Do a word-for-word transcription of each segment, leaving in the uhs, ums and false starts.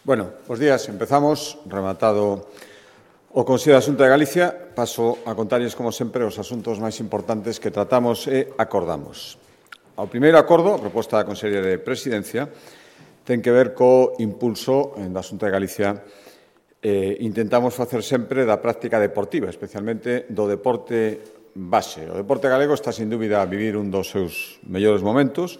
Bueno, bos días. Empezamos, rematado o Consello de Asunta de Galicia. Paso a contarles, como sempre, os asuntos máis importantes que tratamos e acordamos. O primeiro acordo, a proposta da Consellería de Presidencia, ten que ver co impulso da Asunta de Galicia. Eh, intentamos facer sempre da práctica deportiva, especialmente do deporte base. O deporte galego está, sin dúbida, a vivir un dos seus mellores momentos.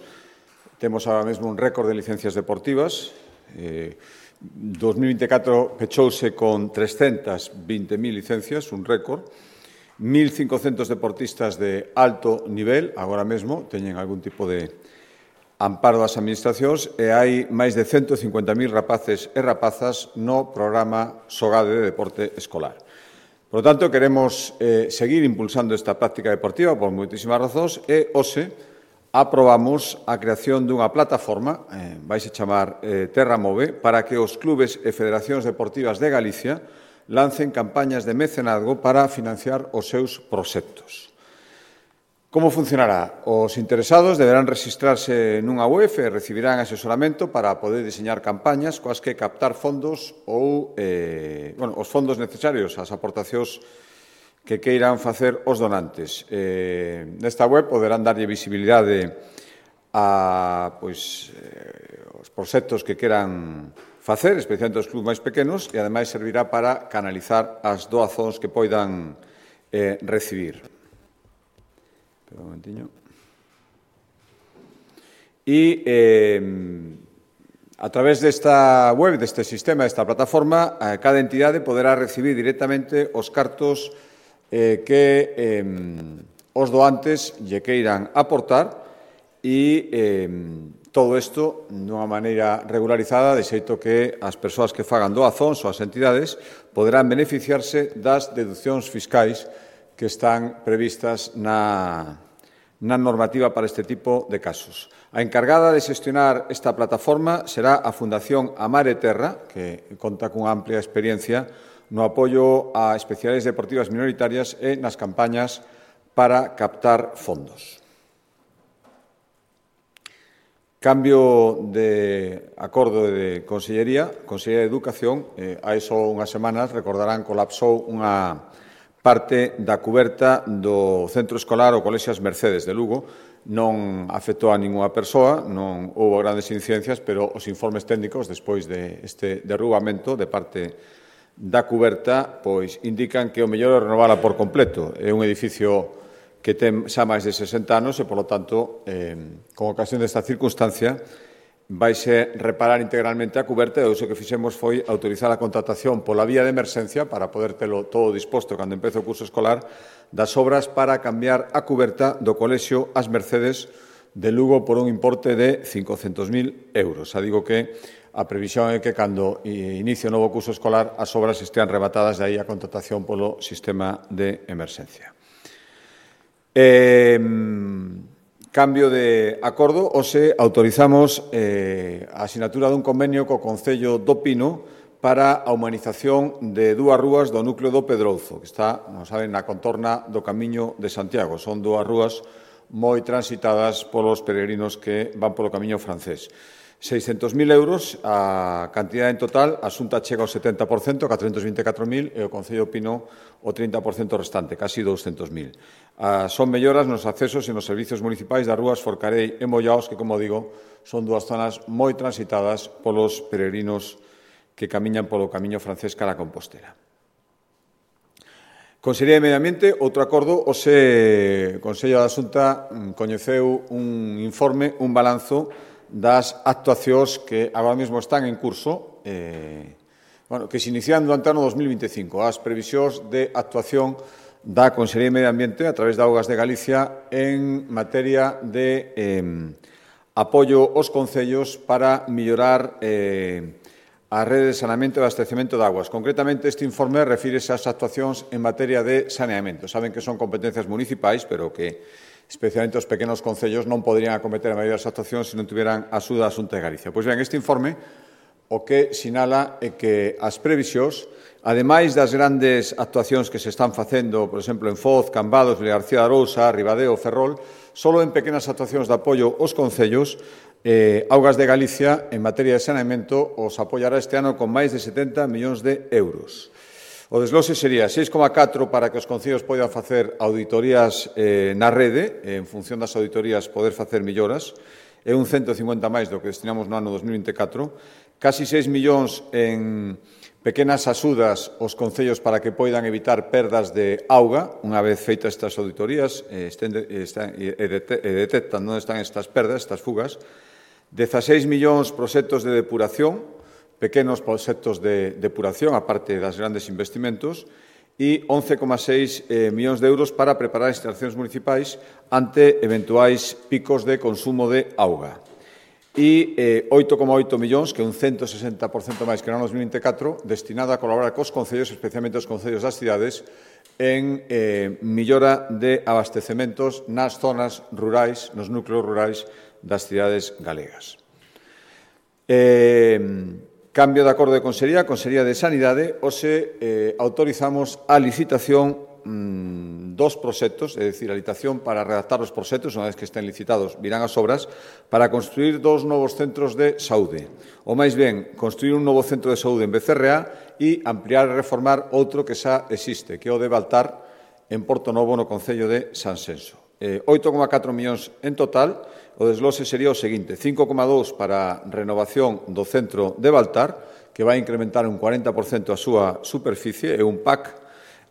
Temos agora mesmo un récord de licencias deportivas. Eh, dos mil vinte e catro pechouse con trescentas vinte mil licencias, un récord. mil cincocentos deportistas de alto nivel, agora mesmo, teñen algún tipo de amparo das administracións e hai máis de cento e cincuenta mil rapaces e rapazas no programa SOGADE de deporte escolar. Por lo tanto, queremos eh, seguir impulsando esta práctica deportiva por moitísimas razóns e, hoxe, aprobamos a creación dunha plataforma, eh, vais a chamar eh, Terra Move, para que os clubes e federacións deportivas de Galicia lancen campañas de mecenazgo para financiar os seus proxectos. Como funcionará? Os interesados deberán registrarse nunha web e recibirán asesoramento para poder diseñar campañas coas que captar fondos ou eh, bueno, os fondos necesarios, as aportacións que queiran facer os donantes. Eh, nesta web poderán darlle visibilidade a pois, eh, os proxectos que queran facer, especialmente os clubes máis pequenos, e, ademais, servirá para canalizar as doazóns que poidan eh, recibir. Espera un momentiño. E, eh, a través desta web, deste sistema, desta plataforma, eh, cada entidade poderá recibir directamente os cartos eh, que eh, os doantes lle queiran aportar e eh, todo isto dunha maneira regularizada, de xeito que as persoas que fagan doazóns ou as entidades poderán beneficiarse das deduccións fiscais que están previstas na, na normativa para este tipo de casos. A encargada de xestionar esta plataforma será a Fundación Amar e Terra, que conta cunha amplia experiencia no apoio a especialidades deportivas minoritarias e nas campañas para captar fondos. Cambio de acordo de Consellería, Consellería de Educación, eh, hai só unhas semanas, recordarán, colapsou unha parte da cuberta do centro escolar o Colexio As Mercedes de Lugo. Non afectou a ningunha persoa, non houve grandes incidencias, pero os informes técnicos, despois deste derrubamento de parte da cuberta, pois indican que o mellor é renovala por completo. É un edificio que ten xa máis de sesenta anos e, polo tanto, eh, con ocasión desta circunstancia, vaise reparar integralmente a cuberta e o uso que fixemos foi autorizar a contratación pola vía de emerxencia para poder telo todo disposto cando empece o curso escolar das obras para cambiar a cuberta do Colexio As Mercedes de Lugo por un importe de cincocentos mil euros. Xa digo que a previsión é que, cando inicie o novo curso escolar, as obras estean rebatadas, de aí a contratación polo sistema de emerxencia. Eh, cambio de acordo, hoxe autorizamos eh, a asinatura dun convenio co Concello do Pino para a humanización de dúas rúas do núcleo do Pedrouzo, que está, non saben, na contorna do Camiño de Santiago. Son dúas rúas moi transitadas polos peregrinos que van polo Camiño francés. seiscentos mil euros a cantidade en total, a Xunta chega ao setenta por cento, catrocentos vinte e catro mil, e o Concello Pino o trinta por cento restante, casi douscentos mil. Ah, son melloras nos accesos e nos servicios municipais das rúas Forcarei e Mollaos, que, como digo, son dúas zonas moi transitadas polos peregrinos que camiñan polo Camiño francés cara a Compostela. Consellería de Medio Ambiente, outro acordo, hoxe o Consello da Xunta coñeceu un informe, un balanzo das actuacións que agora mesmo están en curso, eh, bueno, que se inician durante o ano dos mil vinte e cinco, as previsións de actuación da Consellería de Medio Ambiente a través de Augas de Galicia en materia de eh, apoio aos concellos para mellorar eh, a rede de saneamento e abastecemento de aguas. Concretamente, este informe refírese ás actuacións en materia de saneamento. Saben que son competencias municipais, pero que especialmente os pequenos concellos non poderían acometer a maioría das actuacións se non tiveran a axuda da Xunta de Galicia. Pois ben, este informe o que sinala é que as previsións, ademais das grandes actuacións que se están facendo, por exemplo, en Foz, Cambados, Vilagarcía de Arousa, Ribadeo, Ferrol, só en pequenas actuacións de apoio aos concellos, eh, Augas de Galicia, en materia de saneamento, os apoiará este ano con máis de setenta millóns de euros. O desglose sería seis coma catro para que os concellos poidan facer auditorías eh, na rede, en función das auditorías poder facer melloras, é un cento cincuenta máis do que destinamos no ano dos mil vinte e catro, casi seis millóns en pequenas axudas aos concellos para que poidan evitar perdas de auga, unha vez feitas estas auditorías eh, estén, están, e, e detectan onde están estas perdas, estas fugas, dezaseis millóns proxectos de depuración, pequenos proxectos de depuración, aparte das grandes investimentos, e once coma seis eh, millóns de euros para preparar instalacións municipais ante eventuais picos de consumo de auga. E eh, oito coma oito millóns, que é un cento sesenta por cento máis que no ano dos mil vinte e catro, destinado a colaborar cos concellos, especialmente os concellos das cidades, en eh, millora de abastecementos nas zonas rurais, nos núcleos rurais das cidades galegas. Eh, Cambio de acordo de Consellería, Consellería de Sanidade, hoxe eh, autorizamos a licitación mmm, dos proxectos, é dicir, a licitación para redactar os proxectos, unha vez que estén licitados, virán as obras, para construir dos novos centros de saúde. Ou máis ben, construir un novo centro de saúde en Becerreá e ampliar e reformar outro que xa existe, que é o de Baltar, en Porto Novo, no Concello de Sanxenxo. Eh, oito coma catro millóns en total. O desglose sería o seguinte: cinco coma dous para renovación do centro de Baltar, que vai incrementar un cuarenta por cento a súa superficie, e un P A C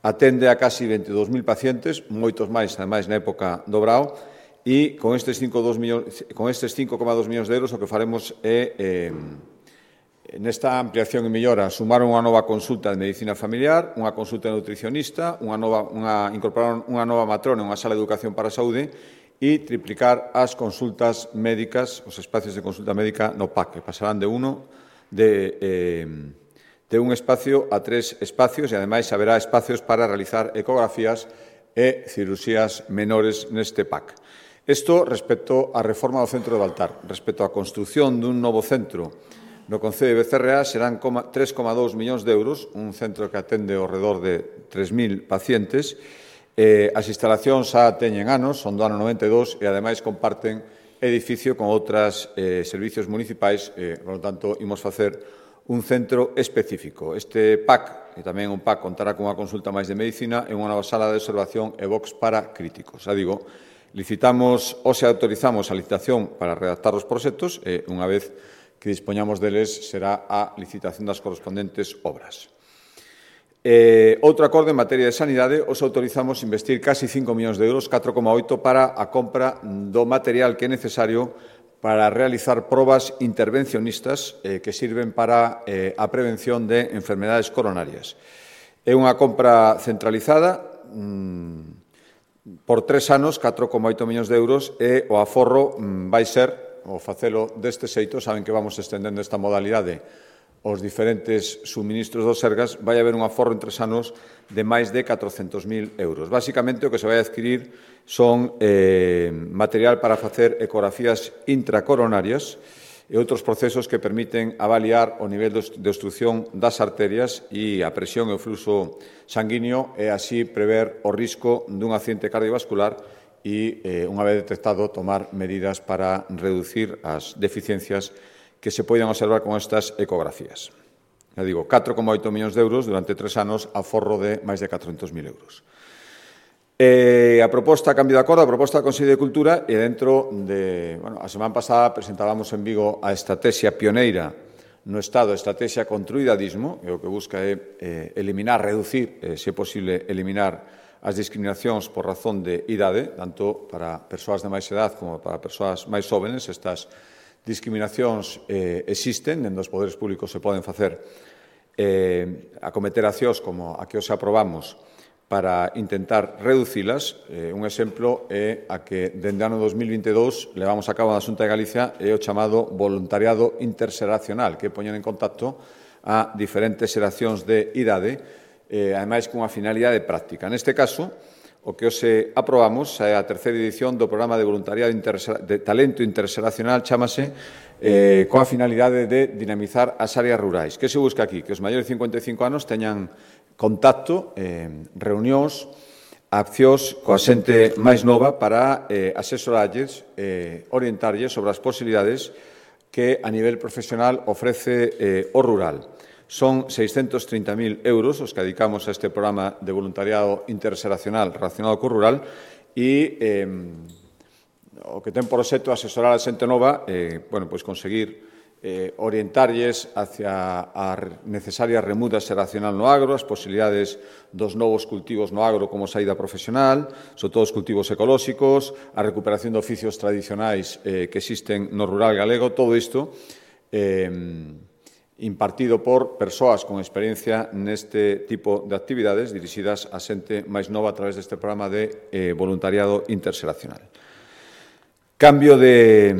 atende a casi veintidós mil pacientes, moitos máis, ademais, na época do Brao, e con estes cinco coma dous millóns de euros o que faremos é, eh, nesta ampliación e mellora, sumar unha nova consulta de medicina familiar, unha consulta de nutricionista, unha nova, unha, incorporar unha nova matrona, unha sala de educación para a saúde, e triplicar as consultas médicas, os espacios de consulta médica no P A C, que pasarán de uno de, eh, de un espacio a tres espacios, e ademais haberá espacios para realizar ecografías e cirurxías menores neste P A C. Isto respecto á reforma do centro de Baltar. Respecto á construción dun novo centro no Concello de Becerreá serán tres coma dous millóns de euros, un centro que atende ao redor de tres mil pacientes. Eh, as instalacións xa teñen anos, son do ano noventa e dous, e ademais comparten edificio con outros eh, servicios municipais, eh, por lo tanto, imos facer un centro específico. Este P A C, e tamén un P A C, contará cunha consulta máis de medicina e unha nova sala de observación e box para críticos. Xa digo, licitamos ou se autorizamos a licitación para redactar os proxectos e, unha vez que dispoñamos deles, será a licitación das correspondentes obras. Eh, outro acordo en materia de sanidade, os autorizamos investir casi cinco millóns de euros, catro coma oito, para a compra do material que é necesario para realizar probas intervencionistas eh, que sirven para eh, a prevención de enfermedades coronarias. É unha compra centralizada mmm, por tres anos, catro coma oito millóns de euros, e o aforro mmm, vai ser, o facelo deste xeito, saben que vamos estendendo esta modalidade os diferentes suministros dos Sergas, vai haber un aforro en tres anos de máis de catrocentos mil euros. Básicamente, o que se vai adquirir son eh, material para facer ecografías intracoronarias e outros procesos que permiten avaliar o nivel de obstrucción das arterias e a presión e o fluxo sanguíneo e así prever o risco dun accidente cardiovascular e, eh, unha vez detectado, tomar medidas para reducir as deficiencias que se poden observar con estas ecografías. Ya digo, catro coma oito millóns de euros durante tres anos, aforro de máis de catrocentos mil euros. Eh, a proposta, a cambio de acordo, a proposta da Consellería de Cultura, e dentro de... Bueno, a semana pasada presentábamos en Vigo a estrategia pioneira no Estado, a estrategia contra o idadismo, que o que busca é eh, eliminar, reducir, eh, se é posible, eliminar as discriminacións por razón de idade, tanto para persoas de máis edad como para persoas máis jóvenes. Estas discriminacións eh, existen, dentro dos poderes públicos se poden facer eh, acometer accións como a que os aprobamos para intentar reducilas. Eh, un exemplo é a que dende o ano dos mil vinte e dous levamos a cabo na Xunta de Galicia é o chamado voluntariado interxeracional, que poñen en contacto a diferentes xeracións de idade, eh, ademais cunha finalidade práctica. Neste caso, o que hoxe aprobamos é a terceira edición do programa de voluntariado de talento interxeracional, chámase, eh, coa finalidade de dinamizar as áreas rurais. Que se busca aquí? Que os maiores de cincuenta e cinco anos teñan contacto, eh, reunións, accións coa xente máis nova para eh, asesorarlles, eh, orientarlles sobre as posibilidades que a nivel profesional ofrece eh, o rural. Son seiscentos trinta mil euros os que dedicamos a este programa de voluntariado interxeracional relacionado co rural e eh, o que ten por obxecto asesorar a xente nova, eh, bueno, pois conseguir eh, orientarlles hacia a necesaria remuda xeracional no agro, as posibilidades dos novos cultivos no agro como saída profesional, sobre todo os cultivos ecolóxicos, a recuperación de oficios tradicionais eh, que existen no rural galego, todo isto eh, impartido por persoas con experiencia neste tipo de actividades dirixidas a xente máis nova a través deste programa de eh, voluntariado interxeracional. Cambio de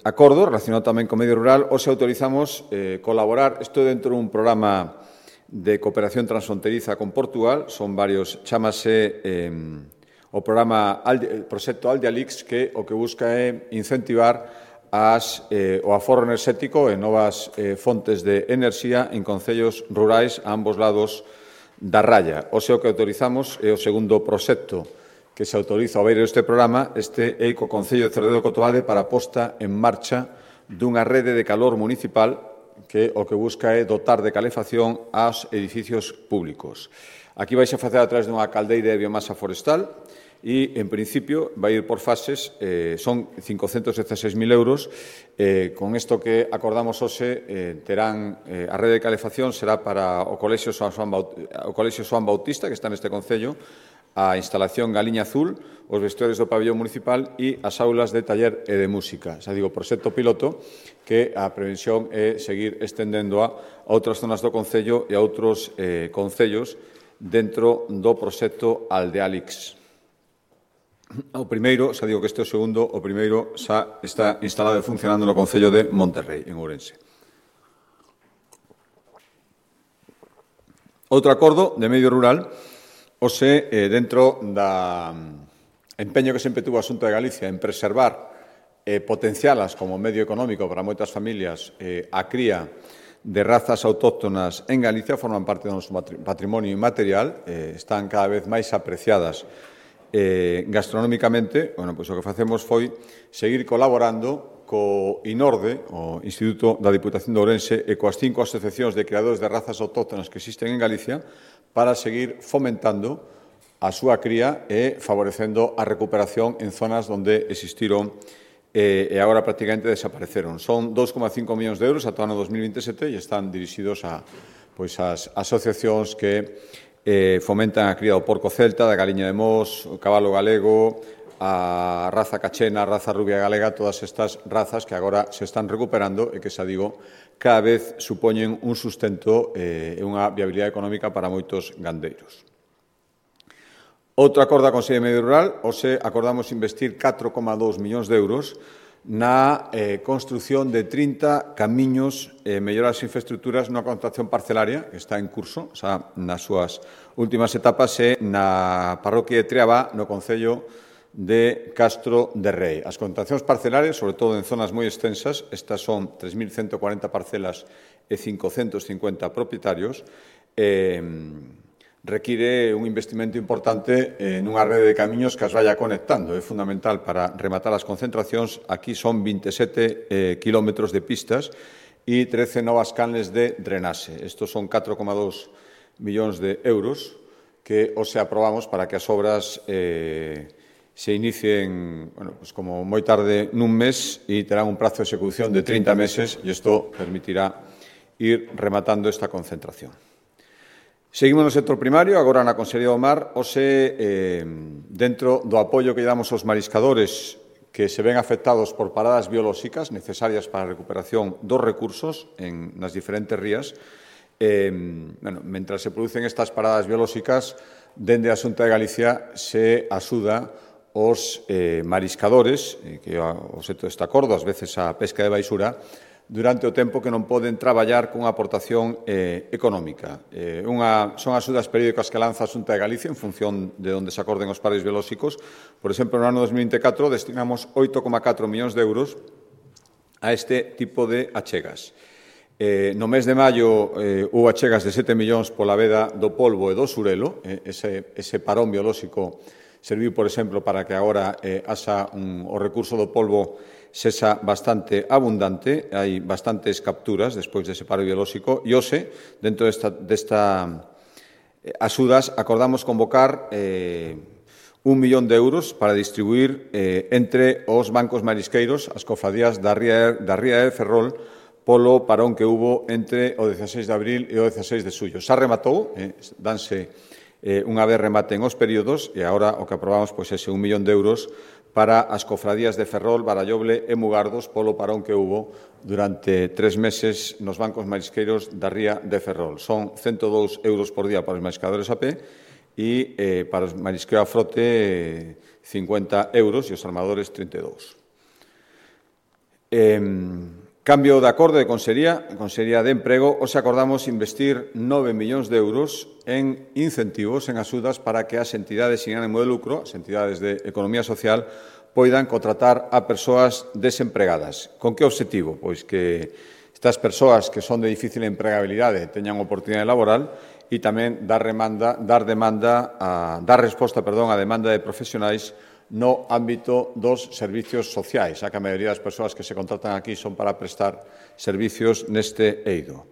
acordo relacionado tamén co medio rural, hoxe autorizamos eh, colaborar, isto dentro dun programa de cooperación transfronteriza con Portugal, son varios, chamase eh, o programa Alde, o proxecto Aldealix, que o que busca é incentivar as, eh, o aforro enerxético e novas eh, fontes de enerxía en concellos rurais a ambos lados da raya. Hoxe o que autorizamos é o segundo proxecto que se autoriza ao beiro deste programa, este é co Concello de Cerredo do Cotobade para a posta en marcha dunha rede de calor municipal que o que busca é dotar de calefacción aos edificios públicos. Aquí vais a facer a través dunha caldeira de biomasa forestal e, en principio, vai ir por fases, eh, son cincocentos dieciséis mil euros. Eh, con isto que acordamos hoxe, eh, terán eh, a rede de calefacción será para o Colexio Xoán o Colexio Xoán Bautista, que está neste concello, a instalación Galiña Azul, os vestuarios do pabellón municipal e as aulas de taller e de música. Xa digo, proxecto piloto que a previsión é seguir estendendo a outras zonas do concello e a outros eh, concellos dentro do proxecto Aldealix. O primeiro, xa digo que este é o segundo, o primeiro xa está instalado e funcionando no concello de Monterrey, en Ourense. Outro acordo de medio rural, Ose, eh, dentro da empeño que sempre tuvo a Xunta de Galicia en preservar e eh, potencialas como medio económico para moitas familias eh, a cría de razas autóctonas en Galicia, forman parte do noso patrimonio inmaterial, eh, están cada vez máis apreciadas eh, gastronómicamente. Bueno, pois o que facemos foi seguir colaborando co INORDE, o Instituto da Diputación de Ourense, e coas cinco asociacións de creadores de razas autóctonas que existen en Galicia, para seguir fomentando a súa cría e favorecendo a recuperación en zonas onde existiron eh, e agora prácticamente desapareceron. Son dous coma cinco millóns de euros ata o ano dos mil vinte e sete e están dirixidos a pois, as asociacións que eh, fomentan a cría do porco celta, da galiña de Mos, o cabalo galego, a raza cachena, a raza rubia galega, todas estas razas que agora se están recuperando e que, xa digo, cada vez supoñen un sustento e eh, unha viabilidade económica para moitos gandeiros. Outro acordo a Consello de Medio Rural, hoxe acordamos investir catro coma dous millóns de euros na eh, construción de trinta camiños e eh, mellorar as infraestructuras nunha contratación parcelaria que está en curso, xa nas súas últimas etapas, e na parroquia de Triabá, no concello de Castro de Rei. As contratacións parcelarias, sobre todo en zonas moi extensas, estas son tres mil ciento cuarenta parcelas e cincocentos cincuenta propietarios, eh, require un investimento importante en unha rede de camiños que as vaya conectando. É fundamental para rematar as concentracións. Aquí son vinte e sete eh, kilómetros de pistas e trece novas canles de drenaxe. Estos son catro coma dous millóns de euros que hoxe aprobamos para que as obras eh, se inicien, bueno, pues como moi tarde nun mes e terán un prazo de execución de trinta meses e isto permitirá ir rematando esta concentración. Seguimos no sector primario, agora na Consellería do Mar, hoxe, eh, dentro do apoio que damos aos mariscadores que se ven afectados por paradas biolóxicas necesarias para a recuperación dos recursos en, nas diferentes rías, eh, bueno, mentras se producen estas paradas biolóxicas, dende a Xunta de Galicia se axuda os eh, mariscadores, eh, que é o obxecto deste acordo, ás veces a pesca de baixura, durante o tempo que non poden traballar con aportación eh, económica. Eh, unha, son axudas periódicas que lanza a Xunta de Galicia en función de onde se acorden os pares biolóxicos. Por exemplo, no ano dos mil vinte e catro destinamos oito coma catro millóns de euros a este tipo de achegas. Eh, no mes de maio eh, houve achegas de sete millóns pola veda do polvo e do surelo, eh, ese, ese parón biolóxico serviu, por exemplo, para que agora eh, asa un, o recurso do polvo sexa bastante abundante, hai bastantes capturas despois dese paro biolóxico, e hoxe, dentro desta, desta eh, axudas, acordamos convocar eh, un millón de euros para distribuir eh, entre os bancos marisqueiros, as cofradías da Ría, da Ría de Ferrol, polo parón que hubo entre o dezaseis de abril e o dezaseis de xullo. Xa rematou, eh, danse eh, unha vez rematen os períodos, e agora o que aprobamos pois, ese un millón de euros para as cofradías de Ferrol, Baralloble e Mugardos polo parón que hubo durante tres meses nos bancos marisqueiros da Ría de Ferrol. Son ciento dous euros por día para os mariscadores a pé e eh, para os marisqueos a frote eh, cincuenta euros e os armadores trinta e dous. Eh, cambio de acordo de Consellería, Consellería de Emprego, hoxe acordamos investir nove millóns de euros en incentivos, en axudas para que as entidades sin ánimo de lucro, as entidades de economía social, poidan contratar a persoas desempregadas. Con que obxectivo? Pois que estas persoas que son de difícil empregabilidade teñan oportunidade laboral e tamén dar, remanda, dar, demanda a, dar resposta perdón, á demanda de profesionais no ámbito dos servicios sociais, xa que a maioría das persoas que se contratan aquí son para prestar servicios neste eido.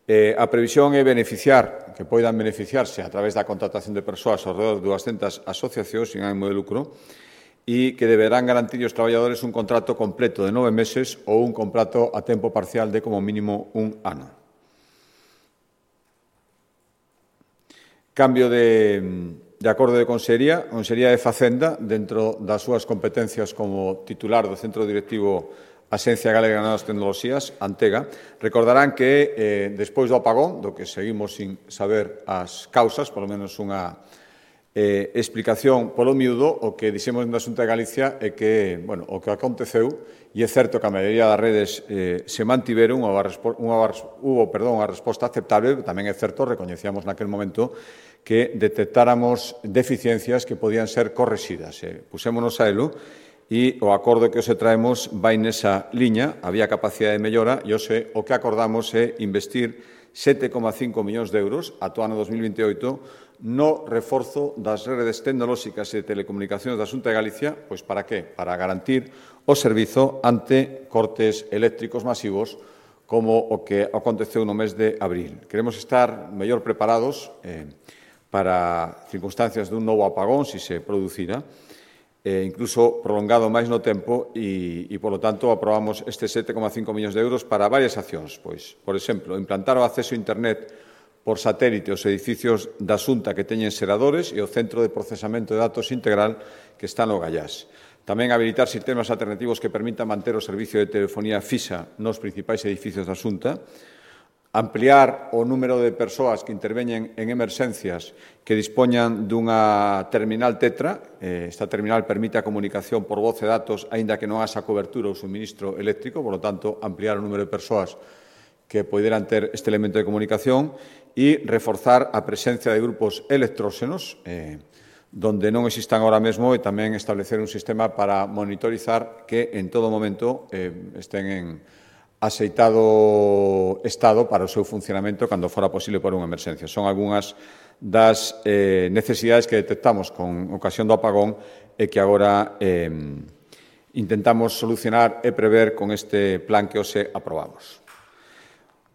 Eh, a previsión é beneficiar, que poidan beneficiarse a través da contratación de persoas ao redor de duascentas asociacións sin ánimo de lucro e que deberán garantir aos traballadores un contrato completo de nove meses ou un contrato a tempo parcial de como mínimo un ano. Cambio de... De acordo de Consellería, Consellería de Facenda, dentro das súas competencias como titular do Centro Directivo Axencia Galega de Novas Tecnoloxías, Antega, recordarán que, eh, despois do apagón, do que seguimos sin saber as causas, polo menos unha eh, explicación polo miúdo, o que dixemos na Xunta de Galicia é que, bueno, o que aconteceu, e é certo que a maioría das redes eh, se mantiveron, unha, unha, hubo, perdón, unha resposta aceptable, tamén é certo, recoñecíamos naquel momento, que detectáramos deficiencias que podían ser correxidas. Eh, pusémonos a elo e o acordo que hoxe traemos vai nesa liña, había capacidade de mellora e hoxe o que acordamos é investir sete coma cinco millóns de euros ata o ano dos mil veintioito no reforzo das redes tecnolóxicas e de telecomunicacións da Xunta de Galicia, pois para que? Para garantir o servizo ante cortes eléctricos masivos como o que aconteceu no mes de abril. Queremos estar mellor preparados eh, para circunstancias dun novo apagón, se se producira, eh, incluso prolongado máis no tempo e, e, polo tanto, aprobamos estes sete coma cinco millóns de euros para varias accións. Pois, por exemplo, implantar o acceso a Internet por satélite aos edificios da Xunta que teñen xeradores e o Centro de Procesamento de Datos Integral que está no Gallás. Tamén habilitar sistemas alternativos que permitan manter o servicio de telefonía fixa nos principais edificios da Xunta, ampliar o número de persoas que interveñen en emerxencias que dispoñan dunha terminal Tetra. Esta terminal permite a comunicación por voz e datos, aínda que non haxa cobertura ou suministro eléctrico, por lo tanto, ampliar o número de persoas que poderan ter este elemento de comunicación e reforzar a presencia de grupos electróxenos, eh, donde non existan ahora mesmo, e tamén establecer un sistema para monitorizar que en todo momento eh, estén en axeitado estado para o seu funcionamento cando fora posible por unha emerxencia. Son algunhas das eh, necesidades que detectamos con ocasión do apagón e que agora eh, intentamos solucionar e prever con este plan que hoxe aprobamos.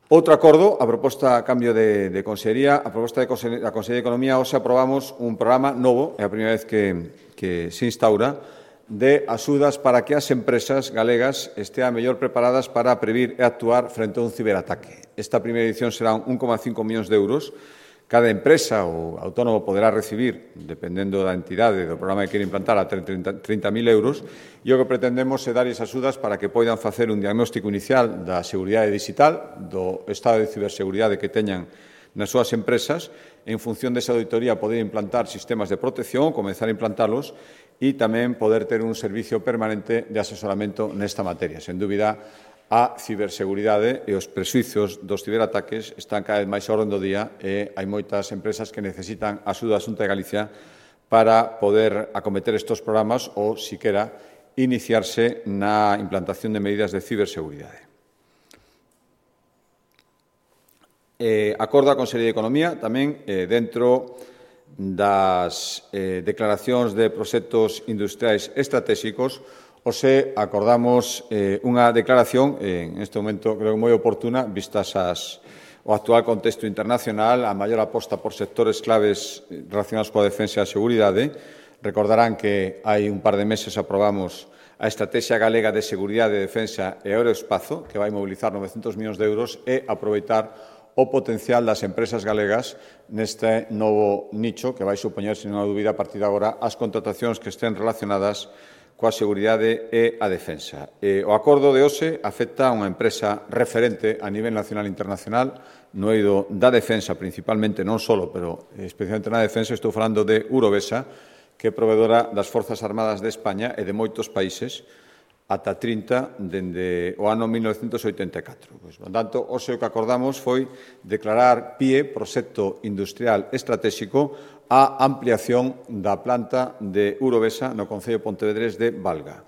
Outro acordo, a proposta a cambio de, de Consellería, a proposta de Consellería, a Consellería de Economía, hoxe aprobamos un programa novo, é a primeira vez que, que se instaura, de axudas para que as empresas galegas estean mellor preparadas para previr e actuar frente a un ciberataque. Esta primeira edición será un coma cinco millóns de euros. Cada empresa ou autónomo poderá recibir, dependendo da entidade do programa que quere implantar, a trinta mil euros, e o que pretendemos é dar esas axudas para que poidan facer un diagnóstico inicial da seguridade digital, do estado de ciberseguridade que teñan nas súas empresas, en función desa auditoría poder implantar sistemas de protección, comenzar a implantalos, e tamén poder ter un servicio permanente de asesoramento nesta materia. Sen dúbida, a ciberseguridade e os prexuizos dos ciberataques están cada vez máis a orde do día e hai moitas empresas que necesitan a axuda da Xunta de Galicia para poder acometer estes programas ou, siquera, iniciarse na implantación de medidas de ciberseguridade. Eh, acordo a Consellería de Economía, tamén eh, dentro das eh, declaracións de proxectos industriais estratégicos, hoxe acordamos eh, unha declaración, eh, en este momento creo que moi oportuna, vistas as, o actual contexto internacional, a maior aposta por sectores claves relacionados coa defensa e a seguridade. Recordarán que hai un par de meses aprobamos a Estrategia Galega de Seguridade, Defensa e Aeroespazo, que vai mobilizar novecientos millóns de euros e aproveitar o potencial das empresas galegas neste novo nicho que vai supoñer, sen unha dúbida, a partir de agora, as contratacións que estén relacionadas coa seguridade e a defensa. E o acordo de hoxe afecta a unha empresa referente a nivel nacional e internacional no eido da defensa, principalmente, non só, pero especialmente na defensa. Estou falando de Urovesa, que é provedora das Forzas Armadas de España e de moitos países ata trinta dende o ano mil novecentos oitenta e catro. Pois, por tanto, hoxe o que acordamos foi declarar P I E, Proxecto Industrial Estratégico, a ampliación da planta de Urovesa no concello de Pontevedrés de Valga.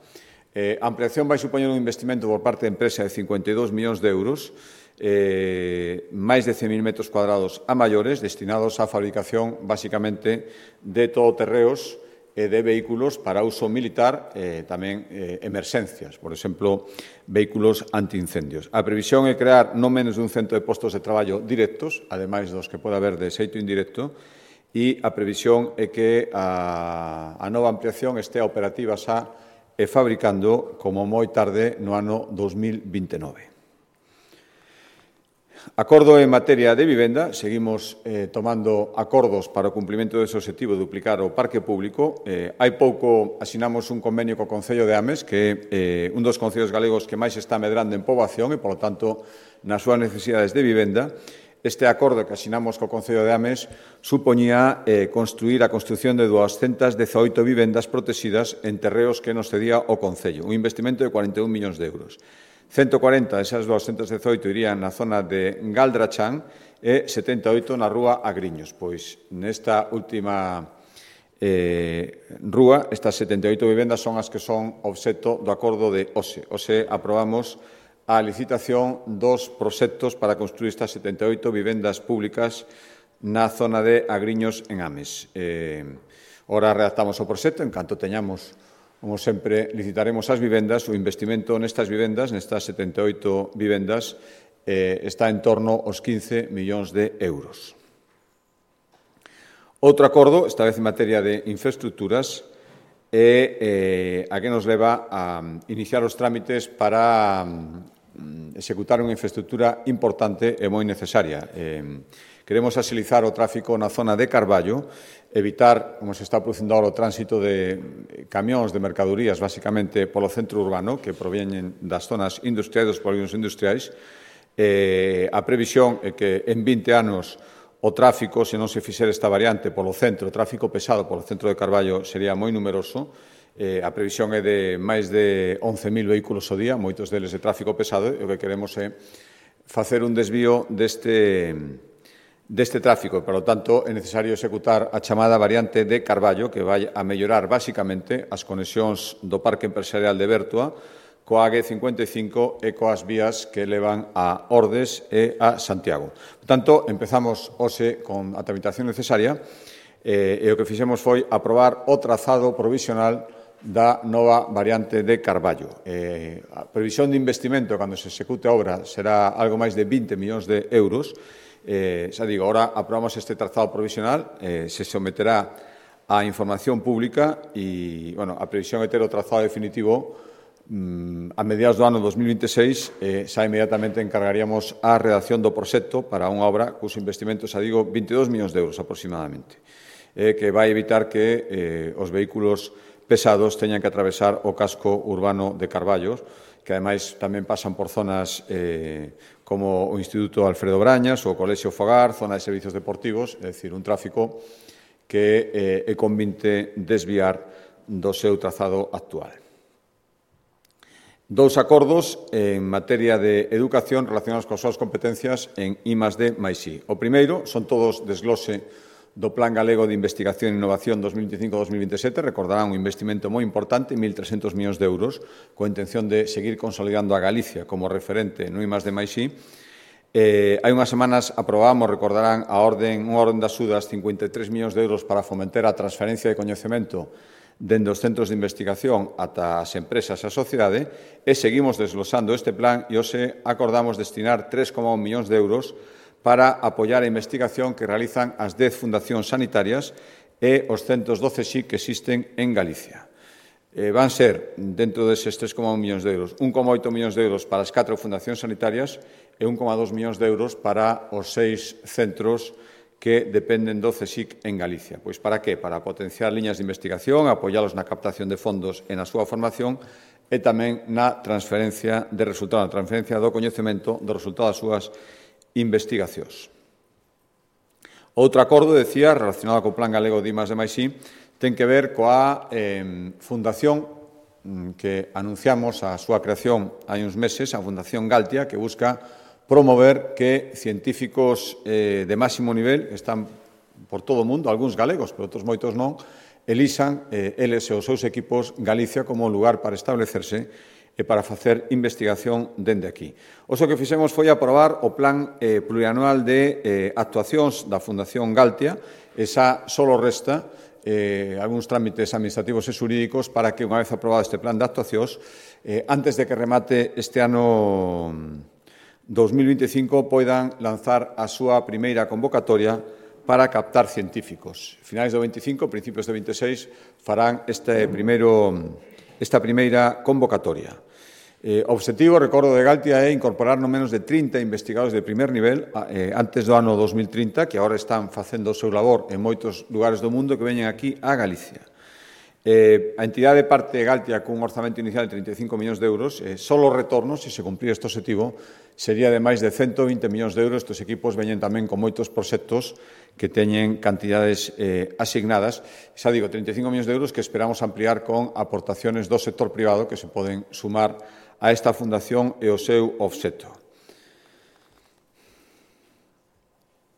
Eh, a ampliación vai supoñer un investimento por parte da empresa de cincuenta e dous millóns de euros, eh, máis de cen mil metros cuadrados a maiores, destinados á fabricación, basicamente, de todoterreos e de vehículos para uso militar e eh, tamén eh, emerxencias, por exemplo, vehículos antiincendios. A previsión é crear non menos dun cento de postos de traballo directos, ademais dos que pode haber de xeito indirecto, e a previsión é que a, a nova ampliación estea operativa xa e fabricando como moi tarde no ano dos mil vinte e nove. Acordo en materia de vivenda. Seguimos eh, tomando acordos para o cumprimento dese objetivo de duplicar o parque público. Eh, hai pouco asinamos un convenio co Concello de Ames, que é eh, un dos concellos galegos que máis está medrando en poboación e, polo tanto, nas súas necesidades de vivenda. Este acordo que asinamos co Concello de Ames supoñía eh, construir a construción de duascentas dezaoito vivendas protegidas en terreos que nos cedía o Concello, un investimento de cuarenta e un millóns de euros. ciento cuarenta desas duascentas dezaoito irían na zona de Galdrachán e setenta e oito na rúa Agriños. Pois nesta última eh, rúa, estas setenta e oito vivendas son as que son obxecto do acordo de hoxe. Hoxe aprobamos a licitación dos proxectos para construir estas setenta e oito vivendas públicas na zona de Agriños en Ames. Eh, ora redactamos o proxecto, en canto teñamos, como sempre, licitaremos as vivendas. O investimento nestas vivendas, nestas setenta e oito vivendas, eh, está en torno aos quince millóns de euros. Outro acordo, esta vez en materia de infraestructuras, é eh, a que nos leva a iniciar os trámites para um, executar unha infraestructura importante e moi necesaria. Eh, queremos axilizar o tráfico na zona de Carballo, evitar, como se está producindo agora, o tránsito de camións de mercadorías, basicamente polo centro urbano, que provienen das zonas industriais, dos polígonos industriais. Eh, a previsión é que en vinte anos o tráfico, se non se fixer esta variante polo centro, o tráfico pesado polo centro de Carballo sería moi numeroso. Eh, a previsión é de máis de once mil vehículos ao día, moitos deles de tráfico pesado, e o que queremos é facer un desvío deste deste tráfico. Por lo tanto, é necesario executar a chamada variante de Carballo, que vai a mellorar basicamente as conexións do Parque Empresarial de Bertua coa A G cincuenta e cinco e coas vías que levan a Ordes e a Santiago. Por tanto, empezamos hoxe con a tramitación necesaria eh, e o que fixemos foi aprobar o trazado provisional da nova variante de Carballo. Eh, a previsión de investimento, cando se execute a obra, será algo máis de vinte millóns de euros. Eh, xa digo, ahora aprobamos este trazado provisional, eh, se someterá a información pública e, bueno, a previsión é ter o trazado definitivo mm, a mediados do ano dos mil vinte e seis. Eh, xa inmediatamente encargaríamos a redacción do proxecto para unha obra cuso investimento, xa digo, vinte e dous millóns de euros aproximadamente, eh, que vai evitar que eh, os vehículos pesados teñan que atravesar o casco urbano de Carballo, que ademais tamén pasan por zonas eh, como o Instituto Alfredo Brañas ou o Colexio Fogar, zona de servicios deportivos, é dicir, un tráfico que eh, é convinte desviar do seu trazado actual. Dous acordos en materia de educación relacionados coas súas competencias en I más D máis I. O primeiro son todos desglose do Plan Galego de Investigación e Innovación dos mil veinticinco a dos mil veintisiete. Recordarán un investimento moi importante, mil trescentos millóns de euros, coa intención de seguir consolidando a Galicia como referente no I más D máis I. Eh, hai unhas semanas aprobamos, recordarán, a orden, unha orden de axudas, cincuenta e tres millóns de euros para fomentar a transferencia de coñecemento dende os centros de investigación ata as empresas e a sociedade, e seguimos desglosando este plan e hoxe acordamos destinar tres coma un millóns de euros para apoiar a investigación que realizan as dez fundacións sanitarias e os centros do C S I C que existen en Galicia. Eh, van ser, dentro deses tres coma un millóns de euros, un coma oito millóns de euros para as catro fundacións sanitarias e un coma dos millóns de euros para os seis centros que dependen do C S I C en Galicia. Pois para que? Para potenciar liñas de investigación, apoialos na captación de fondos e na súa formación e tamén na transferencia de resultado, na transferencia do coñecemento do resultado das súas investigacións. Outro acordo, decía, relacionado co Plan Galego de I más D máis I, ten que ver coa eh, fundación que anunciamos a súa creación hai uns meses, a Fundación Galtia, que busca promover que científicos eh, de máximo nivel, que están por todo o mundo, algúns galegos, pero outros moitos non, elixan eh, eles e os seus equipos Galicia como lugar para establecerse e para facer investigación dende aquí. Oso que fixemos foi aprobar o Plan eh, Plurianual de eh, Actuacións da Fundación Galtia. Esa solo resta eh, algúns trámites administrativos e xurídicos para que, unha vez aprobado este plan de actuacións, eh, antes de que remate este ano dos mil vinte e cinco, poidan lanzar a súa primeira convocatoria para captar científicos. Finais do veinticinco, principios do veintiséis, farán este primeiro, esta primeira convocatoria. Eh, o obxectivo, recordo, de Galtia é incorporar no menos de trinta investigadores de primer nivel eh, antes do ano dos mil trinta, que agora están facendo o seu labor en moitos lugares do mundo, que veñen aquí a Galicia. Eh, a entidade parte de Galtia cun orzamento inicial de trinta e cinco millóns de euros, eh, só o retorno, se se cumprir este objetivo, sería de máis de cento vinte millóns de euros. Estes equipos veñen tamén con moitos proxectos que teñen cantidades eh, asignadas. Xa digo, trinta e cinco millóns de euros que esperamos ampliar con aportaciones do sector privado que se poden sumar a esta fundación e o seu obxecto.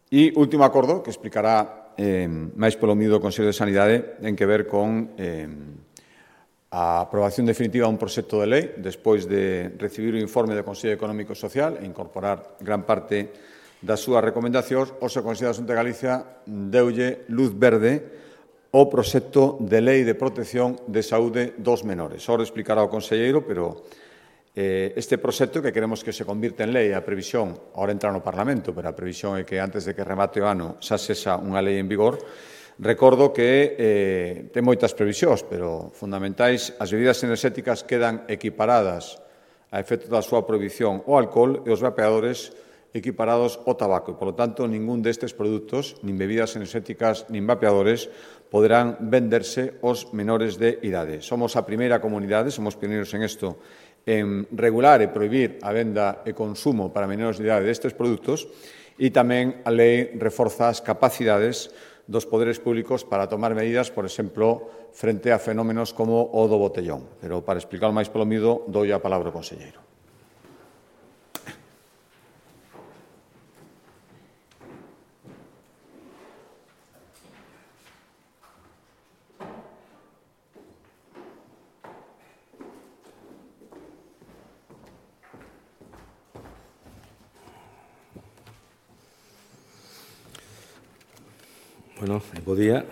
E último acordo, que explicará eh, máis polo miúdo o Consello de Sanidade, ten que ver con eh, a aprobación definitiva dun proxecto de lei, despois de recibir o informe do Consello Económico e Social e incorporar gran parte das súas recomendacións, o Consello da Xunta de Galicia deulle luz verde o proxecto de lei de protección de saúde dos menores. Ahora explicará o conselleiro, pero eh, este proxecto que queremos que se convirte en lei, a previsión, ahora entra no Parlamento, pero a previsión é que antes de que remate o ano xa sexa unha lei en vigor. Recordo que eh, ten moitas previsións, pero fundamentais, as bebidas enerxéticas quedan equiparadas a efecto da súa prohibición ao alcohol e os vapeadores equiparados ao tabaco. E, polo tanto, ningún destes produtos, nin bebidas enerxéticas, nin vapeadores, poderán venderse aos menores de idade. Somos a primeira comunidade, somos pioneiros en isto, en regular e prohibir a venda e consumo para menores de idade destes produtos, e tamén a lei reforza as capacidades dos poderes públicos para tomar medidas, por exemplo, frente a fenómenos como o do botellón. Pero, para explicar máis polo miúdo, dou a palabra ao conselleiro. Bueno, bo día.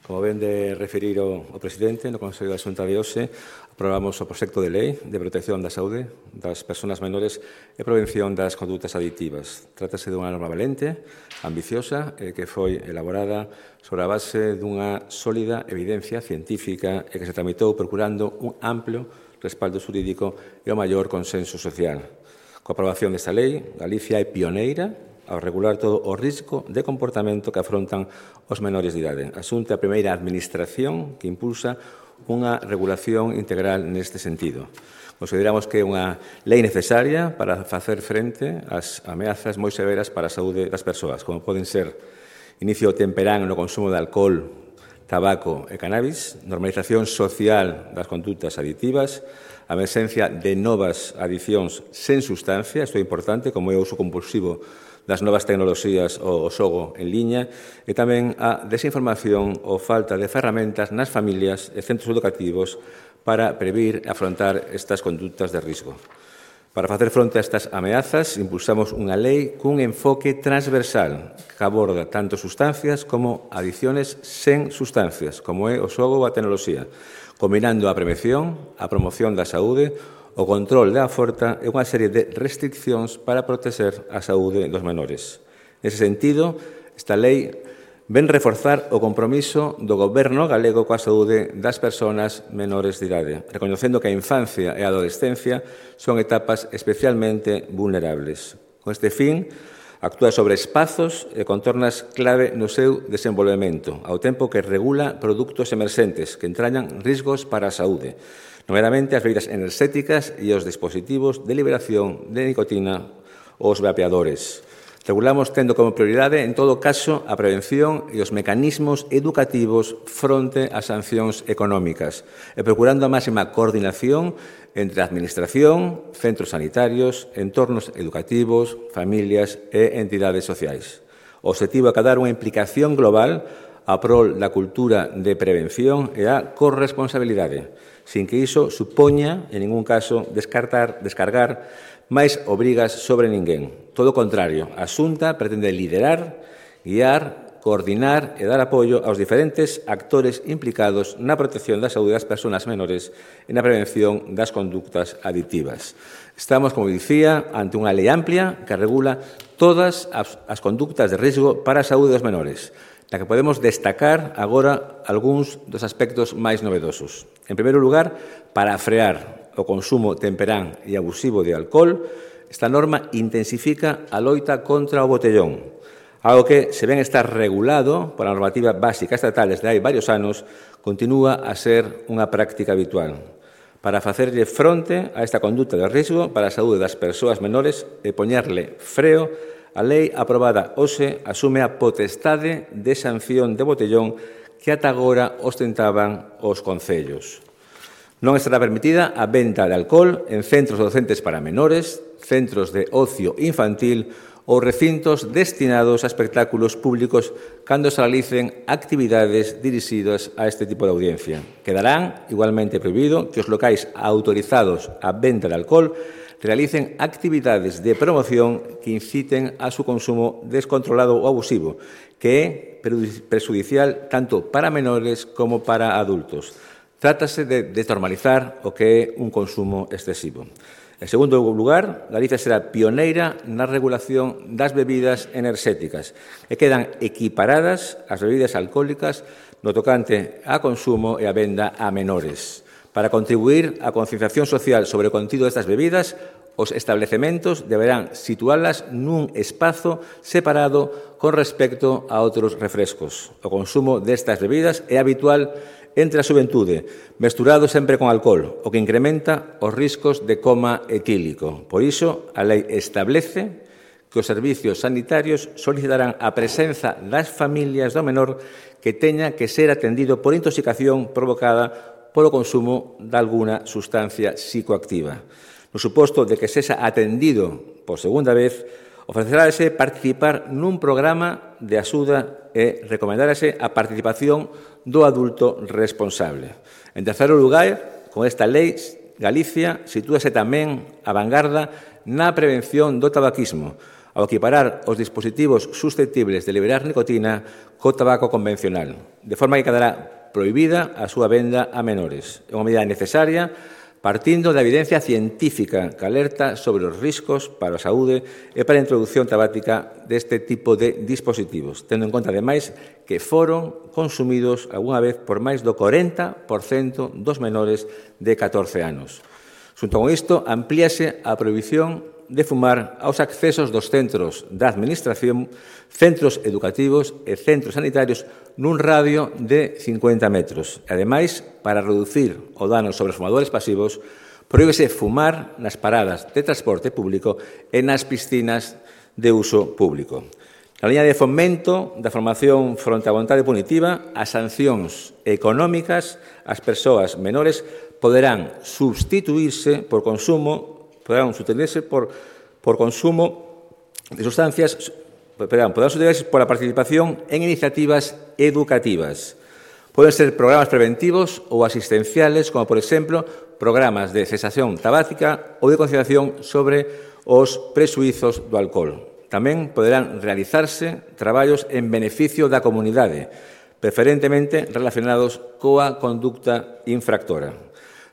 Como ven de referir o, o presidente, no Consello da Xunta de hoxe, aprobamos o proxecto de lei de protección da saúde das persoas menores e prevención das condutas adictivas. Trátase dunha norma valente, ambiciosa, e que foi elaborada sobre a base dunha sólida evidencia científica e que se tramitou procurando un amplio respaldo xurídico e o maior consenso social. Coa aprobación desta lei, Galicia é pioneira ao regular todo o risco de comportamento que afrontan os menores de idade. A Xunta é a primeira administración que impulsa unha regulación integral neste sentido. Consideramos que é unha lei necesaria para facer frente ás ameazas moi severas para a saúde das persoas, como poden ser inicio temperán no consumo de alcohol, tabaco e cannabis, normalización social das condutas adictivas, a emerxencia de novas adiccións sen sustancia, isto é importante, como é o uso compulsivo das novas tecnoloxías ou o xogo en liña, e tamén a desinformación ou falta de ferramentas nas familias e centros educativos para previr e afrontar estas condutas de risco. Para facer fronte a estas ameazas, impulsamos unha lei cun enfoque transversal que aborda tanto sustancias como adiciones sen sustancias, como é o xogo ou a tecnoloxía, combinando a prevención, a promoción da saúde, o control da oferta e unha serie de restriccións para proteger a saúde dos menores. Nese sentido, esta lei ven reforzar o compromiso do Goberno galego coa saúde das persoas menores de idade, recoñecendo que a infancia e a adolescencia son etapas especialmente vulnerables. Con este fin, actúa sobre espazos e contornas clave no seu desenvolvemento, ao tempo que regula produtos emerxentes que entrañan risgos para a saúde, nomeadamente as bebidas enerxéticas e os dispositivos de liberación de nicotina ou os vapeadores. Regulamos tendo como prioridade, en todo caso, a prevención e os mecanismos educativos fronte ás sancións económicas e procurando a máxima coordinación entre a Administración, centros sanitarios, entornos educativos, familias e entidades sociais. O obxectivo é acadar unha implicación global a prol da cultura de prevención e a corresponsabilidade, sin que iso supoña, en ningún caso, descartar, descargar máis obrigas sobre ninguén. Todo o contrario, a Xunta pretende liderar, guiar, coordinar e dar apoio aos diferentes actores implicados na protección da saúde das persoas menores e na prevención das conductas adictivas. Estamos, como dicía, ante unha lei amplia que regula todas as, as conductas de risco para a saúde dos menores, na que podemos destacar agora algúns dos aspectos máis novedosos. En primeiro lugar, para frear o consumo temperán e abusivo de alcohol, esta norma intensifica a loita contra o botellón, algo que, se ben está regulado pola normativa básica estatal desde hai varios anos, continúa a ser unha práctica habitual. Para facerlle fronte a esta conduta de risco para a saúde das persoas menores e poñerle freo, a lei aprobada hoxe asume a potestade de sanción de botellón que ata agora ostentaban os concellos. Non estará permitida a venta de alcohol en centros docentes para menores, centros de ocio infantil ou recintos destinados a espectáculos públicos cando se realicen actividades dirixidas a este tipo de audiencia. Quedarán igualmente prohibido que os locais autorizados a venta de alcohol realicen actividades de promoción que inciten a su consumo descontrolado ou abusivo, que é perjudicial tanto para menores como para adultos. Trátase de desnormalizar o que é un consumo excesivo. En segundo lugar, Galicia será pioneira na regulación das bebidas enerxéticas e quedan equiparadas as bebidas alcohólicas no tocante a consumo e a venda a menores. Para contribuir á concienciación social sobre o contido destas bebidas, os establecementos deberán situalas nun espazo separado con respecto a outros refrescos. O consumo destas bebidas é habitual entre a xuventude, mesturado sempre con alcohol, o que incrementa os riscos de coma etílico. Por iso, a lei establece que os servicios sanitarios solicitarán a presenza das familias do menor que teña que ser atendido por intoxicación provocada polo consumo de alguna sustancia psicoactiva. No suposto de que sexa atendido por segunda vez, ofrecerase participar nun programa de axuda e recomendarase a participación do adulto responsable. En terceiro lugar, con esta lei, Galicia sitúase tamén a vanguarda na prevención do tabaquismo, ao equiparar os dispositivos susceptibles de liberar nicotina co tabaco convencional, de forma que quedará prohibida a súa venda a menores. É unha medida necesaria partindo da evidencia científica que alerta sobre os riscos para a saúde e para a introducción tabática deste tipo de dispositivos, tendo en conta, ademais, que foron consumidos algunha vez por máis do corenta por cento dos menores de catorce anos. Xunto con isto, amplíase a prohibición de fumar aos accesos dos centros da Administración, centros educativos e centros sanitarios nun radio de cincuenta metros. Ademais, para reducir o dano sobre os fumadores pasivos, prohíbese fumar nas paradas de transporte público e nas piscinas de uso público. Na liña de fomento da formación fronte á vontade punitiva, as sancións económicas ás persoas menores poderán substituírse por consumo poderán sustituirse por, por consumo de sustancias, perdón, poderán sustituirse por la participación en iniciativas educativas. Poden ser programas preventivos ou asistenciales, como, por exemplo, programas de cesación tabáquica ou de concienciación sobre os presuizos do alcohol. Tamén poderán realizarse traballos en beneficio da comunidade, preferentemente relacionados coa conducta infractora.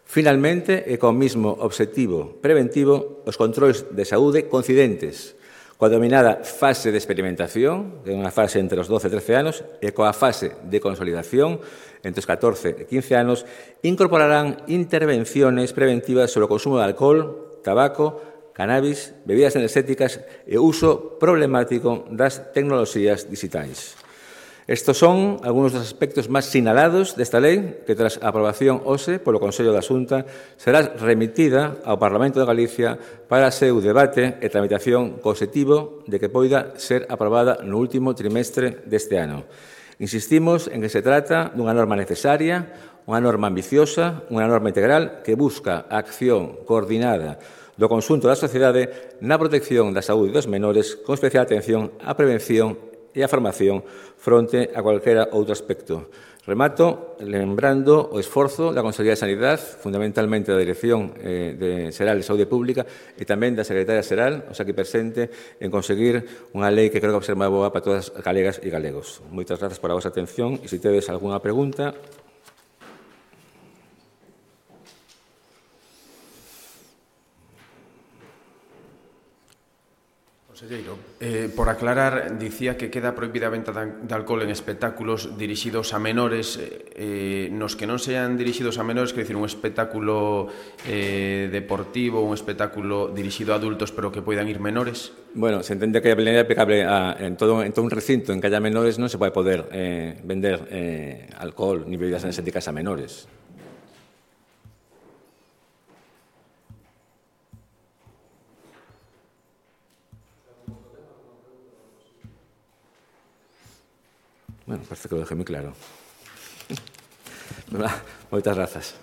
Finalmente, e con mismo obxectivo preventivo, os controis de saúde coincidentes coa denominada fase de experimentación, que é unha fase entre os doce e trece anos, e coa fase de consolidación entre os catorce e quince anos, incorporarán intervenciones preventivas sobre o consumo de alcohol, tabaco, cannabis, bebidas enerxéticas e uso problemático das tecnoloxías digitais. Estos son algunos dos aspectos máis sinalados desta lei que, tras a aprobación hoxe polo Consello da Xunta, será remitida ao Parlamento de Galicia para seu debate e tramitación co obxectivo de que poida ser aprobada no último trimestre deste ano. Insistimos en que se trata dunha norma necesaria, unha norma ambiciosa, unha norma integral que busca a acción coordinada do conxunto da sociedade na protección da saúde dos menores, con especial atención á prevención e a formación fronte a calquera outro aspecto. Remato lembrando o esforzo da Consellería de Sanidade, fundamentalmente da Dirección eh, de Xeral de Saúde Pública e tamén da Secretaria Xeral, o sea, aquí presente, en conseguir unha lei que creo que vai ser moi boa para todas as galegas e galegos. Moitas grazas por a vosa atención e se tedes algunha pregunta. Conselleiro, eh, por aclarar, dicía que queda prohibida a venta de alcohol en espectáculos dirixidos a menores, eh, nos que non sean dirixidos a menores, quer dicir, un espectáculo eh, deportivo, un espectáculo dirixido a adultos, pero que poidan ir menores? Bueno, se entende que a lei é aplicable a, en, todo, en todo un recinto en que haya menores, non se pode poder eh, vender eh, alcohol ni bebidas enerxéticas a menores. Bueno, parece que lo dejé moi claro. Moitas grazas.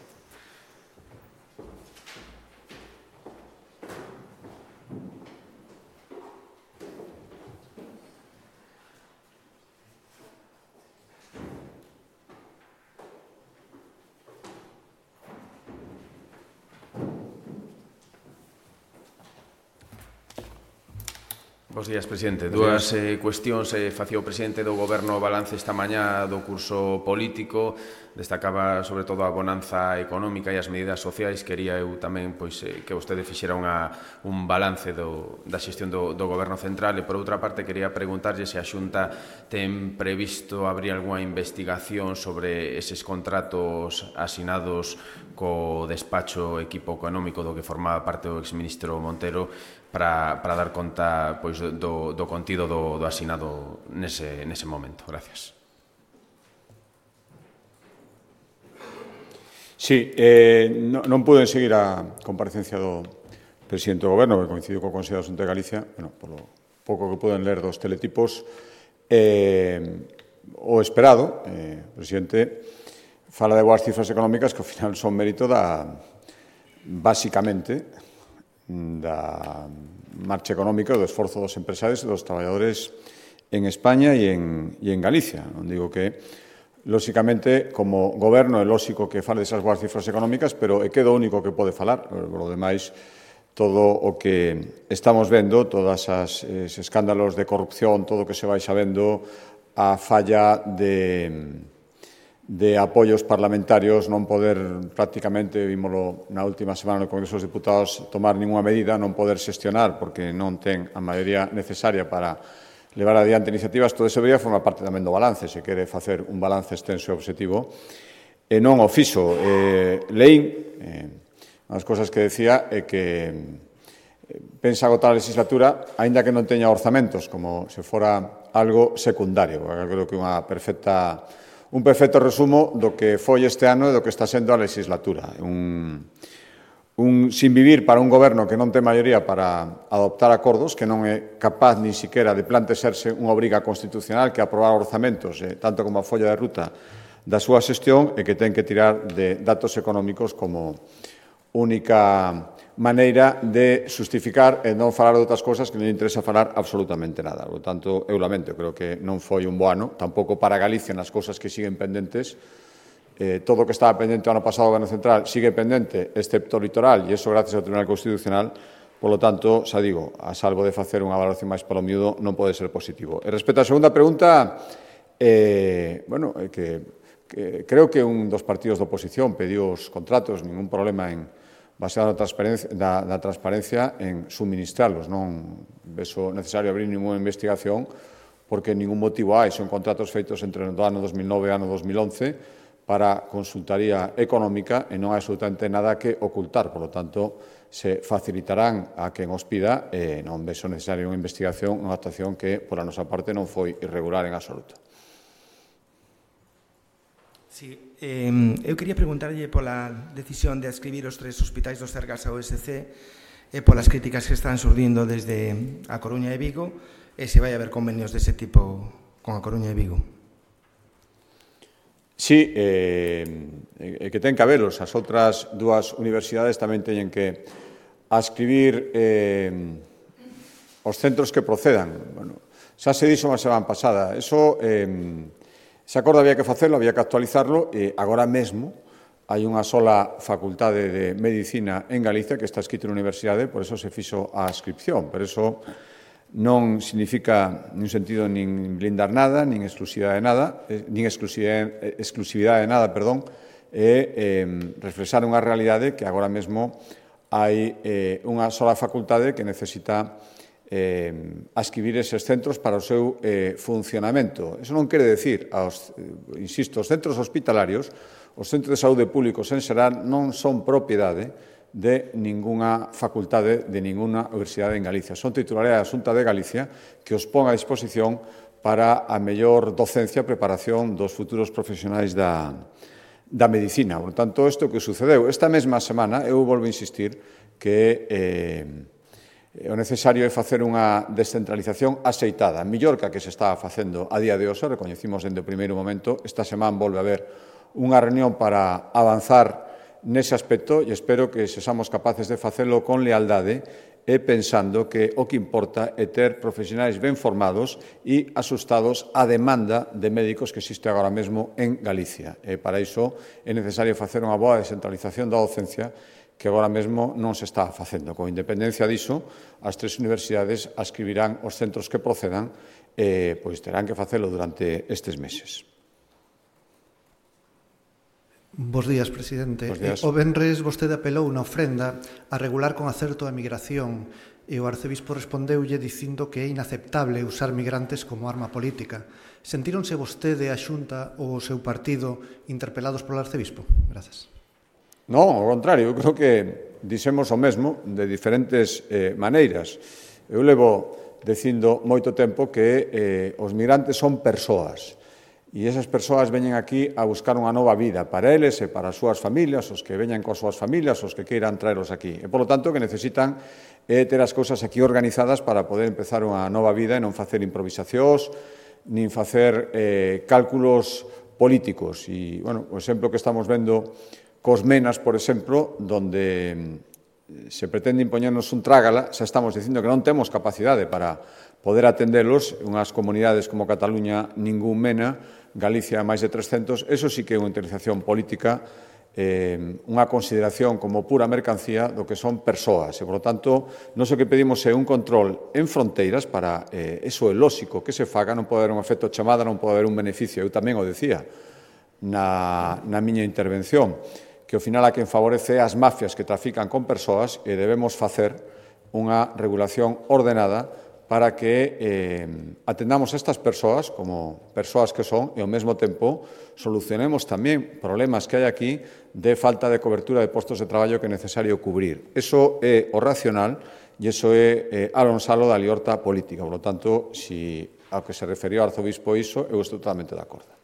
Bos días, presidente. Dúas eh, cuestións eh, facía o presidente do Goberno balance esta mañá do curso político. Destacaba sobre todo a bonanza económica e as medidas sociais. Quería eu tamén pois, eh, que vostede fixera unha, un balance do, da xestión do, do Goberno central. E por outra parte quería preguntarlle se a Xunta ten previsto abrir algunha investigación sobre eses contratos asinados co despacho equipo económico do que formaba parte o exministro Montero para, para dar conta pois, do, do contido do, do asinado nese, nese momento. Gracias. Sí, eh, non, non pude seguir a comparecencia do presidente do Goberno, que coincidiu co Consello da Xunta de Galicia, bueno, polo pouco que puden ler dos teletipos, eh, o esperado, eh, o presidente fala de boas cifras económicas que ao final son mérito da, básicamente, da marcha económica, do esforzo dos empresarios e dos traballadores en España e en, e en Galicia. Non digo que, lóxicamente, como goberno é lóxico que fale desas boas cifras económicas, pero é que do único que pode falar. Por lo demais, todo o que estamos vendo, todos os escándalos de corrupción, todo o que se vai sabendo, a falla de... de apoios parlamentarios, non poder prácticamente, vímolo na última semana no Congreso dos Deputados, tomar ninguna medida, non poder xestionar porque non ten a maioría necesaria para levar adiante iniciativas. Todo ese debería formar parte tamén do balance, se quere facer un balance extenso e obxectivo, e non o fixo. Eh, leín, eh, unhas cosas que decía é que pensa agotar a legislatura, aínda que non teña orzamentos, como se fora algo secundario. Eu creo que unha perfecta... Un perfecto resumo do que foi este ano e do que está sendo a legislatura. Un, un sin vivir para un goberno que non ten maioría para adoptar acordos, que non é capaz ni siquiera de plantexarse unha obriga constitucional que aprobar orzamentos, eh, tanto como a folla de ruta da súa xestión, e que ten que tirar de datos económicos como única maneira de justificar e non falar de outras cousas que non interesa falar absolutamente nada. Por tanto, eu lamento, creo que non foi un bo ano, tampouco para Galicia nas cousas que siguen pendentes Eh, todo o que estaba pendente o ano pasado do Goberno Central sigue pendente, excepto o litoral, e iso gracias ao Tribunal Constitucional. Por lo tanto, xa digo, a salvo de facer unha valoración máis polo miúdo, non pode ser positivo. E respecto á segunda pregunta, eh, bueno, eh, que, que creo que un dos partidos de oposición pediu os contratos, ningún problema en baseado na transparencia, na, na transparencia en suministralos. Non vexo necesario abrir ninguna investigación porque ningún motivo hai. Son contratos feitos entre o ano dos mil nove e o ano dos mil once para consultaría económica e non hai absolutamente nada que ocultar. Por lo tanto, se facilitarán a quen os pida e non vexo necesario unha investigación, unha actuación que, pola nosa parte, non foi irregular en absoluto. Sí, eh, eu quería preguntarlle pola decisión de adscribir os tres hospitais dos Cergas ao E S C e polas críticas que están surdindo desde a Coruña e Vigo e se vai haber convenios dese tipo con a Coruña e Vigo. Sí, eh, eh, que ten que habelos. As outras dúas universidades tamén teñen que adscribir eh, os centros que procedan. Bueno, xa se dixo unha semana pasada. Eso, eh, ese acordo había que facelo, había que actualizarlo, e agora mesmo hai unha sola facultade de Medicina en Galicia que está escrito na universidade, por eso se fixo a adscripción. Pero eso non significa nin sentido nin blindar nada, nin exclusividade de nada, nin exclusividade, exclusividade de nada, perdón, e eh, reflexar unha realidade que agora mesmo hai eh, unha sola facultade que necesita eh, adscribir eses centros para o seu eh, funcionamento. Eso non quere decir, aos, eh, insisto, os centros hospitalarios, os centros de saúde públicos en xeral non son propiedade de ningunha facultade, de ningunha universidade en Galicia. Son titularidade da Xunta de Galicia que os pon a disposición para a mellor docencia e preparación dos futuros profesionais da, da medicina. Por tanto, isto que sucedeu esta mesma semana, eu volvo a insistir que eh, o necesario é facer unha descentralización axeitada, mellor que a que se estaba facendo a día de hoxe, recoñecimos dende o primeiro momento. Esta semana volve a haber unha reunión para avanzar nese aspecto e espero que sexamos capaces de facelo con lealdade e pensando que o que importa é ter profesionais ben formados e asustados á demanda de médicos que existe agora mesmo en Galicia. E para iso é necesario facer unha boa descentralización da docencia que agora mesmo non se está facendo. Con independencia diso, as tres universidades adscribirán os centros que procedan e pois terán que facelo durante estes meses. Bos días, presidente. Bos días. O venres vostede apelou na ofrenda a regular con acerto a migración e o arcebispo respondeulle dicindo que é inaceptable usar migrantes como arma política. Sentíronse vostede, a Xunta ou o seu partido interpelados polo arcebispo? Grazas. Non, ao contrario, eu creo que dixemos o mesmo de diferentes eh, maneiras. Eu levo dicindo moito tempo que eh, os migrantes son persoas. E esas persoas veñen aquí a buscar unha nova vida para eles e para as súas familias, os que veñan coas súas familias, os que queiran traeros aquí. E, polo tanto, que necesitan é ter as cousas aquí organizadas para poder empezar unha nova vida e non facer improvisacións, nin facer eh, cálculos políticos. E, bueno, o exemplo que estamos vendo cos menas, por exemplo, donde se pretende impoñernos un trágala, xa estamos dicindo que non temos capacidade para poder atendelos. Unhas comunidades como Cataluña, ningún mena, Galicia máis de trescentos, eso sí que é unha utilización política, eh, unha consideración como pura mercancía do que son persoas. E, por lo tanto, non o que pedimos é un control en fronteiras para, eh, eso é lóxico que se faga, non pode haber un efecto chamada, non pode haber un beneficio. Eu tamén o decía na, na miña intervención, que ao final a quen favorece as mafias que trafican con persoas e debemos facer unha regulación ordenada para que eh, atendamos a estas persoas como persoas que son e ao mesmo tempo solucionemos tamén problemas que hai aquí de falta de cobertura de postos de traballo que é necesario cubrir. Eso é o racional e eso é eh, alonsalo da liorta política. Por lo tanto, si ao que se referiu ao arzobispo iso, eu estou totalmente de acordo.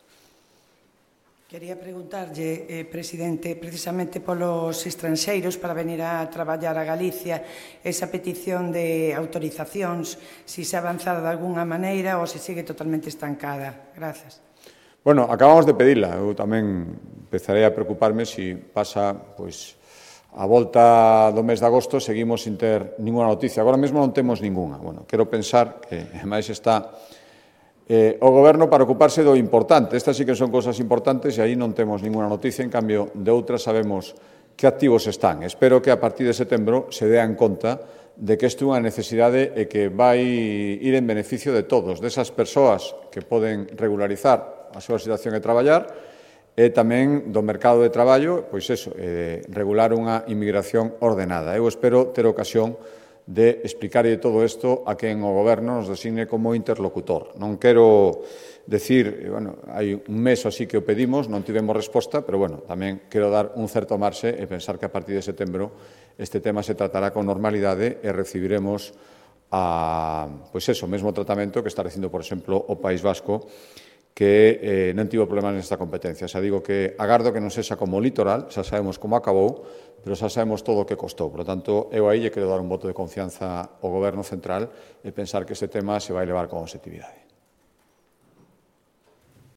Quería preguntarlle, eh, presidente, precisamente polos estranxeiros para venir a traballar a Galicia, esa petición de autorizacións, se se ha avanzado de alguna maneira ou se sigue totalmente estancada. Gracias. Bueno, acabamos de pedila. Eu tamén empezarei a preocuparme se pasa, pois, a volta do mes de agosto seguimos sin ter ninguna noticia. Agora mesmo non temos ninguna. Bueno, quero pensar que, máis está eh, o Goberno para ocuparse do importante. Estas sí que son cosas importantes e aí non temos ninguna noticia, en cambio de outras sabemos que activos están. Espero que a partir de setembro se dean conta de que isto é unha necesidade e que vai ir en beneficio de todos, desas persoas que poden regularizar a súa situación e traballar, e tamén do mercado de traballo, pois eso, eh, regular unha inmigración ordenada. Eu espero ter ocasión de explicarlle todo isto a quen o Goberno nos designe como interlocutor. Non quero decir, bueno, hai un mes así que o pedimos, non tivemos resposta, pero, bueno, tamén quero dar un certo marxe e pensar que a partir de setembro este tema se tratará con normalidade e recibiremos a, pois eso, mesmo tratamento que está recibendo, por exemplo, o País Vasco, que eh, non tivo problemas nesta competencia. Xa digo que agardo que non sexa como o litoral, xa sabemos como acabou, pero xa sabemos todo o que costou. Por lo tanto, eu aí lle quero dar un voto de confianza ao Goberno central e pensar que este tema se vai levar con objetividade.